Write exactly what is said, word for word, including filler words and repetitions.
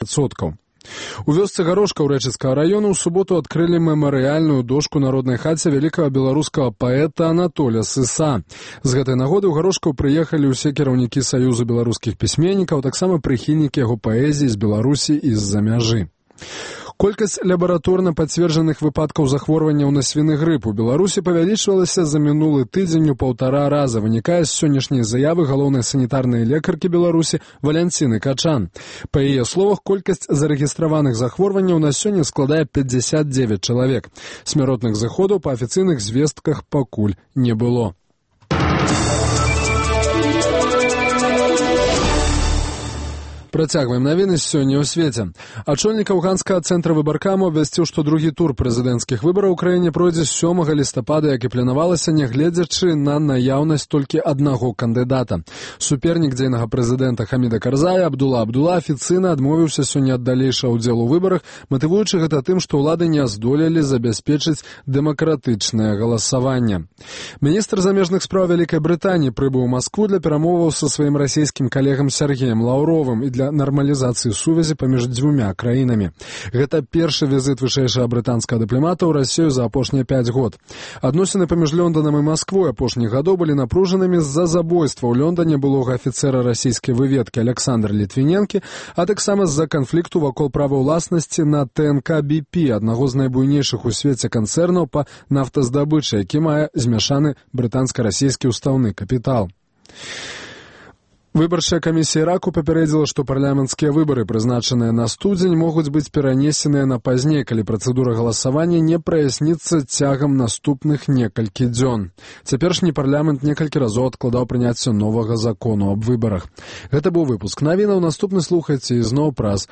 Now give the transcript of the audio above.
адсоткаў. У вёсцы Гарошка ў Рэчыцкага раёна ў суботу адкрылі мемарыяльную дошку народнай хаце вялікага беларускага паэта Анатоля Сыса. З гэтай нагоды ў Гарошкаў прыехалі ўсе кіраўнікі Саюзу беларускіх пісьменнікаў, таксама прыхільнікі яго паэзіі з Беларусі і з-за мяжы. Колькасць лабараторна пацверджаных выпадкаў захворванняў на свіны грып у Беларусі павялічвалася за мінулы тыдзень у паўтара раза, вынікае з сённяшняй заявы галоўнай санітарнай лекаркі Беларусі Валянціны Качан. Па яе словах, колькасць зарэгістраваных захворванняў на сёння складае пятьдесят девять чалавек. Смяротных зыходаў па афіцыйных звестках пакуль не было. Працягваем навіны сёння ў свеце. Ачольнік афганскага цэнтра выбаркаму абвясціў, што другі тур прэзідэнцкіх выбараў у краіне пройдзе сёмага лістапада, як і планавалася, нягледзячы на наяўнасць толькі аднаго кандыдата. Супернік дзейнага прэзідэнта Хаміда Карзая Абдула Абдула афіцыйна адмовіўся сёння ад далейшага ўдзелу ў выбарах, матывуючы гэта тым, што ўлады не здолелі забяспечыць дэмакратычнае галасаванне. Міністр замежных спраў Вялікай Брытаніі прыбыў у Маскву для перамоваў са сваім расійскім калегам Сергеем Лаўровым і для нармалізацыі сувязі паміж дзвюмя краінамі. Гэта першы візіт вышэйшага брытанскага дыпламата ў Расію за апошнія пяць год. Адносіны паміж Лёнданам і Масквой апошніх гадоў былі напружанымі з-за забойства ў Лёндане былога афіцэра расійскай выведкі Александра Літвіненкі, а таксама з-за канфлікту вакол права ўласнасці на тэ эн ка би пі, аднаго з найбуйнейшых у свеце канцэрнаў па нафтаздабычы, які мае змяшаны брытанска-расійскі ўстаўны капітал. Выбарчая камісія Іраку папярэдзіла, што парламенцкія выбары, прызначаныя на студзень, могуць быць перанесеныя на пазней, калі працэдура галасавання не праясніцца цягам наступных некалькі дзён. Цяперашні парламент некалькі разоў адкладаў прыняцце новага закону аб выбарах. Гэта быў выпуск навінаў. Наступны слухайце ізноў праз